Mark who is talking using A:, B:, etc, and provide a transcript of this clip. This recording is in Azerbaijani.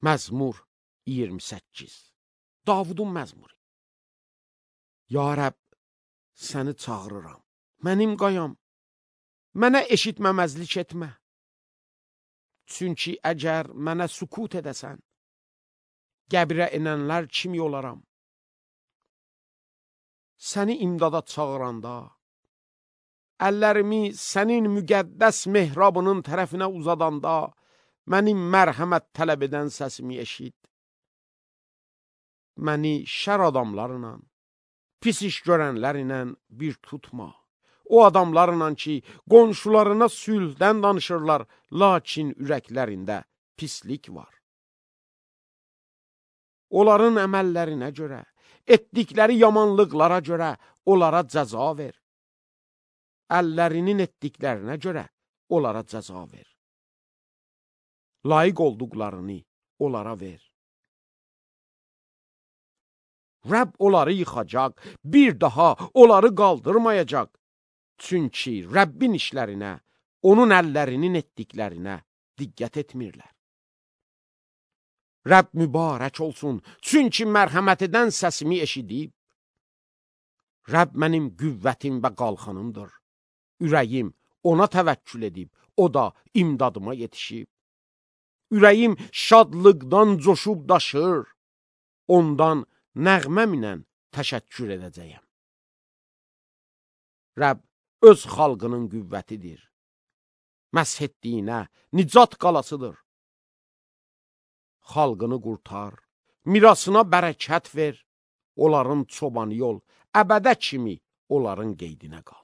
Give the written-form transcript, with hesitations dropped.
A: Məzmur 28. Davudun məzmuru. Ya Rəbb, səni çağırıram, mənim qayam, mənə eşitməməzlik etmə. Çünki əgər mənə sükut edəsən, qəbrə enənlər kimi olaram. Səni imdada çağıranda, əllərimi sənin müqəddəs mehrabının tərəfinə uzadanda, mənim mərhəmət tələb edən səsimi eşit. Məni şər adamlarla, pis iş görənlərlə bir tutma. O adamlarla ki, qonşularına sülhdən danışırlar, lakin ürəklərində pislik var. Onların əməllərinə görə, etdikləri yamanlıqlara görə onlara cəza ver. Əllərinin etdiklərinə görə onlara cəza ver. Layiq olduqlarını onlara ver. Rəbb onları yıxacaq, bir daha onları qaldırmayacaq. Çünki Rəbbin işlərinə, onun əllərinin etdiklərinə diqqət etmirlər. Rəbb mübarək olsun, çünki mərhəmət edən səsimi eşidib. Rəbb mənim qüvvətim və qalxanımdır. Ürəyim ona təvəkkül edib, o da imdadıma yetişib. Ürəyim şadlıqdan coşub daşır, ondan nəğməmlə təşəkkür edəcəyəm. Rəbb öz xalqının qüvvətidir. Məsh etdiyinə nicat qalasıdır. Xalqını qurtar, mirasına bərəkət ver, onların çobanı ol, əbədə kimi onların qeydinə qal.